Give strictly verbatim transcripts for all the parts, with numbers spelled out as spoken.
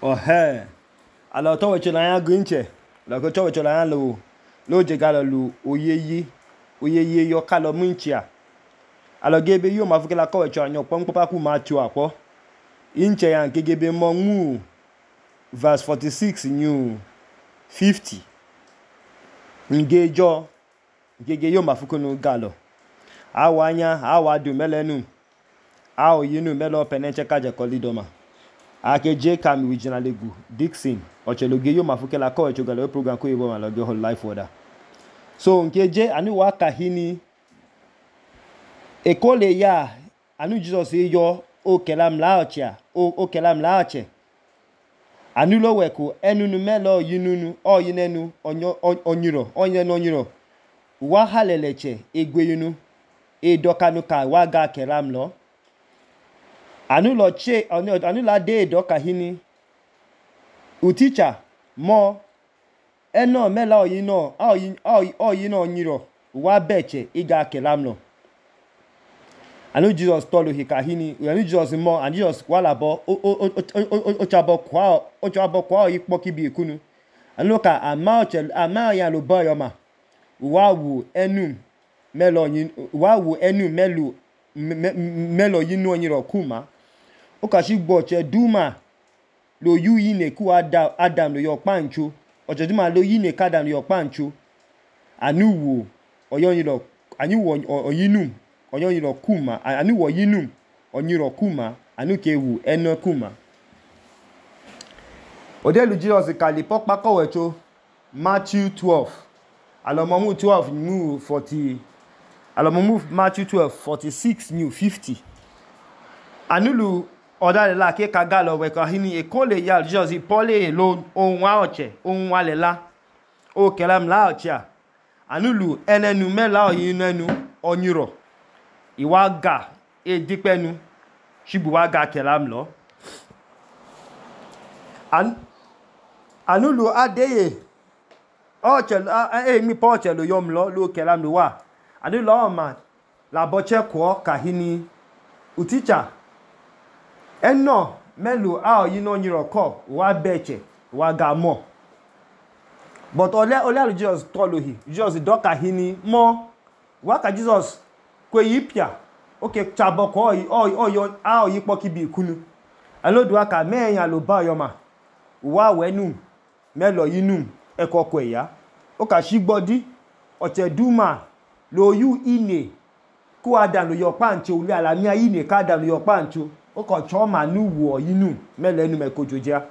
ọhẹ alọ tọwọcho na ya grinche lọkọ tọwọcho na ya lo lóje galọ lu oyeye oyeye yọ kalọ munchia alọ gebe yo ma fukela kọwọcho anyọ kpọ nkpọpaku ma tio akpọ inche ya nke gebe mọ nwu verse forty-six new fifty ngejo ngege yo ma fukunu galọ awa anya awa du melenu ao yinu melo penenche kaje kolidoma ake je kam wijina legu Dixon ocheloge yo ma fukela kọwọcho galọ program ko yebo ma lọ ge whole life order so nke je anu wa kahini ekole ya anu Jesus yo o kelam laochia o o kelam laoche anu lo weku enunu melo yinunu o yinenu onyo onyiro onyenu onyiro wa haleleche egweyunu e dokanu ka wa ga kelam lo anu lo che anu la de doka hini uticha mo eno mela oyino oyin oyino onyiro wa beche iga kelam lo anu Jesus tolu hikahini anu Jesus mo and Jesus wala bo o o o chabo kwa o chabo kwa ipo kibi ikunu anu ka ama oche ama ya lo boyo ma wa wu enu melo yin wa wu enu melu melo yinu onyiro kuma o ka shi gbo che duma lo yu yine ku adam adam lo yo pancho oche duma lo yine kadam lo yo pancho anu wo oyoyin anu wo oyinum oyoyin kuma anu wo yinum onyiro kuma anu ke wu eno kuma odelu Jesus kali pokpa kowecho Matthew twelve alomo mu twelve mu forty alomo mu Matthew twelve forty-six new fifty anulu odale la ke kagalo we ka hini e kole ya Jesus pole lo ohun wa oche ohun wa lela o kelam la ocha anulu enenu mela oyinenu onyiro iwa ga e dipenu shibu wa ga kelam lo an anulu adeye oche e mi poche lo yom lo lo kelam lo wa anulu o ma la boche ko kahini uticha eno melu a oyino nyiro ko wa beche wa ga mo but ole ole Jesus toluhi Jesus doka hini mo wa ka Jesus kwe yipia okay chabo ko oyi oyo a oyi pokibi ikunu alodu aka meyan lo ba yo ma wa wenu melo yinu ekoko eya o ka shigbodi oche duma lo yu ine ku adam lo yo pancho uli ala mi ayine ka adam lo yo pancho o ko choma nu wo yinu melo enu mekojoja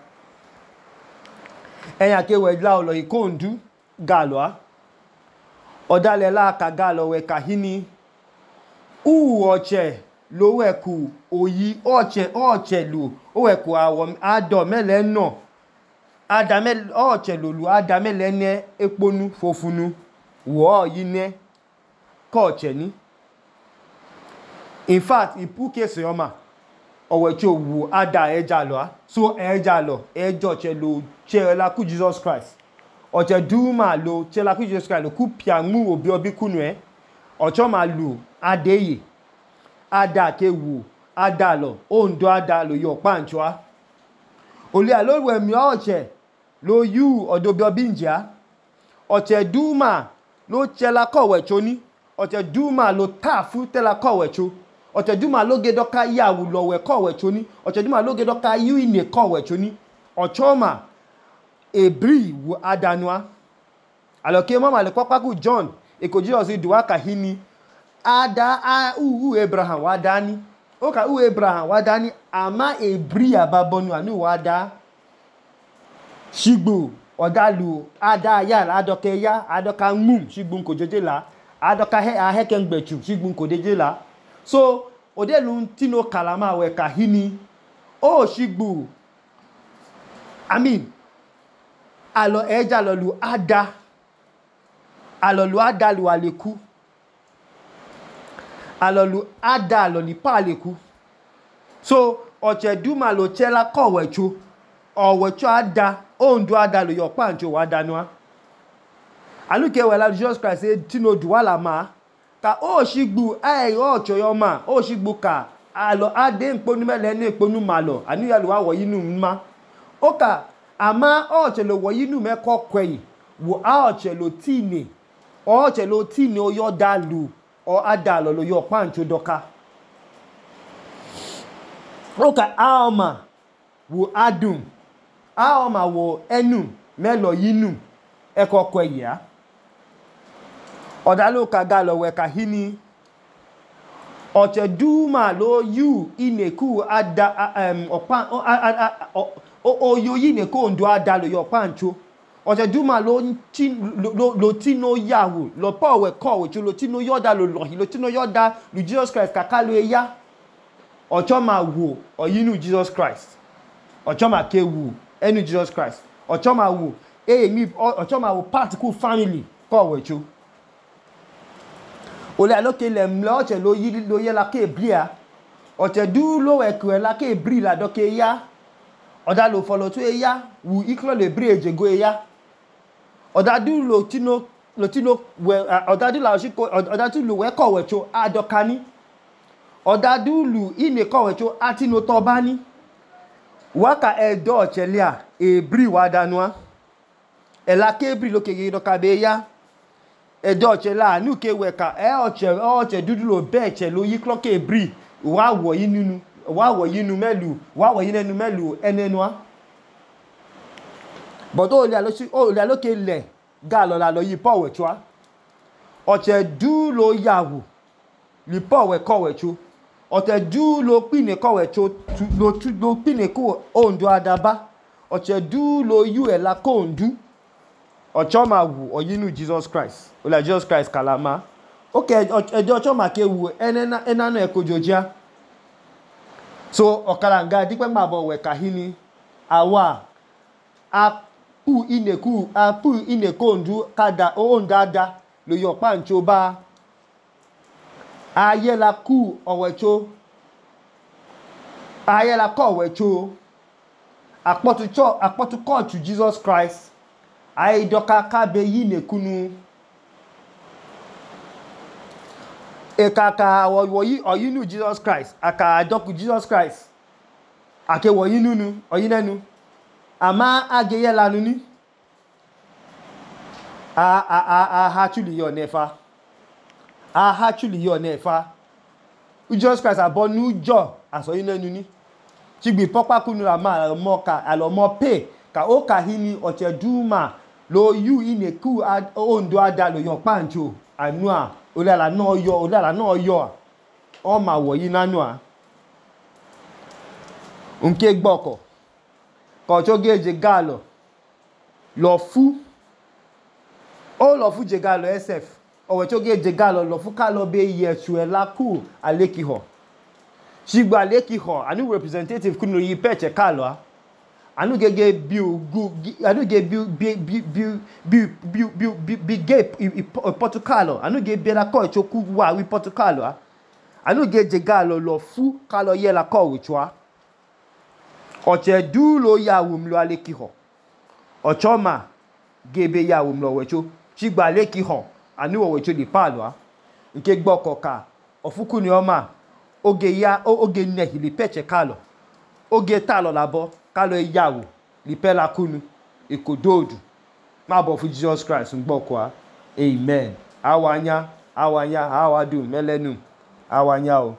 eyan ke we la lo ikondu galo odale la ka galo we kahini u oche lo weku oyi oche oche lu o weku awo ado mele no adamel oche lo lu adamele ne eponu fofunu wo yine ko oche ni in fact ipu kese oma owecho wu ada eja lo so eja lo ejo che lo che la ku Jesus Christ oche duma lo che la ku Jesus Christ lo ku pianmu obi obi kunu e ocho ma lu adeye ada ke wu ada lo ondo ada lo yo panchoa oli alorwe mi oche lo yu odobi obinja oche duma lo chela kowecho ni oche duma lo tafu tela kowecho oche duma lo gedoka yawu lo we kowecho ni oche duma lo gedoka yu ine kowecho ni ochoma ebri wu adanwa aloke mama le kwaku John eko Jesus duwa kahini ada a u Abraham wadani o ka u Abraham wadani ama ebri ababonu anu wada shigbu odalu ada ya adoke ya adoka mum shigbu nko jejela adoka he aheke ngbechu shigbu nko dejela so odelu tino kalama we kahini o shigbu I mean alo eja lo lu ada alo lu ada lu aleku alolu ada aloli paleku so oche duma lo chela kowecho owecho ada ondu ada lo yo pancho wa danwa aluke wela Jesus Christ say tino duwala ma ka o shigbu ai ocho yo ma o shigbu ka alo ade nponu mele ni nponu malo anu ya lo wa yinu ma oka ama ọchẹ lo wọ yinu mẹkọ kwẹyi wo aọchẹ lo tine ọchẹ lo tine oyọ dalu ọ adalọ lo yọ pancho dọka oka aọma wo adum aọma wo ẹnu mẹlọ yinu ẹkọ kwẹyi a ọdalọ ka galọ wẹ ka hini ọchẹ duma lo yu ineku ada um, ọpa oyo yineku ondo ada lo yọ pancho ọchẹ duma lo ti lo lo ti no yawu lo pa ọwẹ kọ ọwẹcho lo ti no yọda lo lọhi lo ti no yọda lu Jesus Christ kaka lo eya ọchọ ma wo ọyinu Jesus Christ ọchọ ma ke wu ẹnu Jesus Christ ọchọ ma wo emi ọchọ ma wo particle family kọ ọwẹcho ole aloke le mle ọchẹ lo yi lo ye la ke bria ọchẹ du lo ẹkẹ la ke bri la dọke eya ọda lo fọlọ tó eya wu iklo le bri ejego eya ọda du lo tino lo tino we ọda du la osiko ọda du lo we kọ ọwẹcho adọkani ọda du lu ine kọ ọwẹcho atino tọbani waka ẹdọ ọchẹ lia ebri wa danua ẹla ke bri lo kege dọka be eya ẹdọ ọchẹ la nu ke wẹ ka ẹ ọchẹ ọchẹ dúdú lo bẹ ẹchẹ lo yí klọkẹ ebri wa wọ yí nínú wa wọ yí nu mẹlu wa wọ yí nẹnu mẹlu ẹnẹnua bọ̀dọ̀ olè alókè lẹ̀ gà lọ́la lọ yí pọ̀ wẹ̀chua ọ̀chẹ̀ dú lo yàwù lì pọ̀ wẹ̀ kọ̀ wẹ̀cho ọ̀chẹ̀ dú lo pínè kọ̀ wẹ̀cho lo pínè kó òǹdó adaba ọ̀chẹ̀ dú lo yú ẹ̀ la kó òǹdú ọ̀chọ́ ma wù ọ̀yínú Jesus Christ olè Jesus Christ kàlámà ókè ẹjọ́ ọ̀chọ́ ma ké wù ẹnánà ẹ̀kọ́ jòjá so ọ̀kàlàǹgà dípẹ́ máa bọ̀ wẹ̀ kàhíní àwa a pu ineku a pu ineko ndu kada o ndada lo yo pancho ba aye la ku owecho aye la ko owecho apotu cho apotu ko to Jesus Christ aye doka ka be yinekunu e kaka wo yi oyinu Jesus Christ aka adoku Jesus Christ ake wo yinunu oyinenu ama ageye lanu ni a a a a actually your nefa a actually your nefa Jesus Christ abonu jo aso yin lenu ni tigbi popa kunu la ma mo ka alo mo pe ka o ka hini oche duma lo yu ineku ondo ada lo yo pancho anu a olala no yo olala no yo o ma wo yin nanu a nke gboko kọ̀ọ̀tọ́ gẹ́ẹ̀jẹ̀ gálọ̀ lọ fú ó lọ fú jẹ gálọ̀ sf ọ̀wẹ̀ tó gẹ́ẹ̀jẹ̀ gálọ̀ lọ fú kálọ̀ bẹ́ yẹ̀ṣù ẹ̀ lákù alékihọ̀ ṣígbà alékihọ̀ àní representative kúnnù yí pẹ̀ẹ̀ṣẹ̀ kálọ̀ àní gẹ́gẹ́ bí ogún àní gẹ́gẹ́ bí gẹ́ pọ̀tùkálọ̀ àní gẹ́gẹ́ bí ẹlákọ̀ ìṣókú wà wí pọ̀tùkálọ̀ àní gẹ́ẹ̀jẹ̀ gálọ̀ lọ fú kálọ̀ yẹ́ lákọ̀ ìṣọ́ ọ̀chẹ̀ dú lo yàwùm lo alékihọ̀ ọ̀chọ́ ma gẹ́bẹ̀ yàwùm lọ wẹ̀chó ṣígbà alékihọ̀ àníwọ̀ wẹ̀chó lè pààlọ́ nke gbọ́kọ̀ ka ọ̀fúkú ni ọmọ oge ya oge nẹ̀hì lè pẹ̀chẹ̀ kálọ̀ oge tààlọ̀ làbọ̀ kálọ̀ yàwù lè pẹ́ lakúnu èkó dóòdù má bọ̀ fún Jesus Christ ń gbọ́kọ̀ amen awanya awanya awadùn mẹ́lẹ́nu awanya o.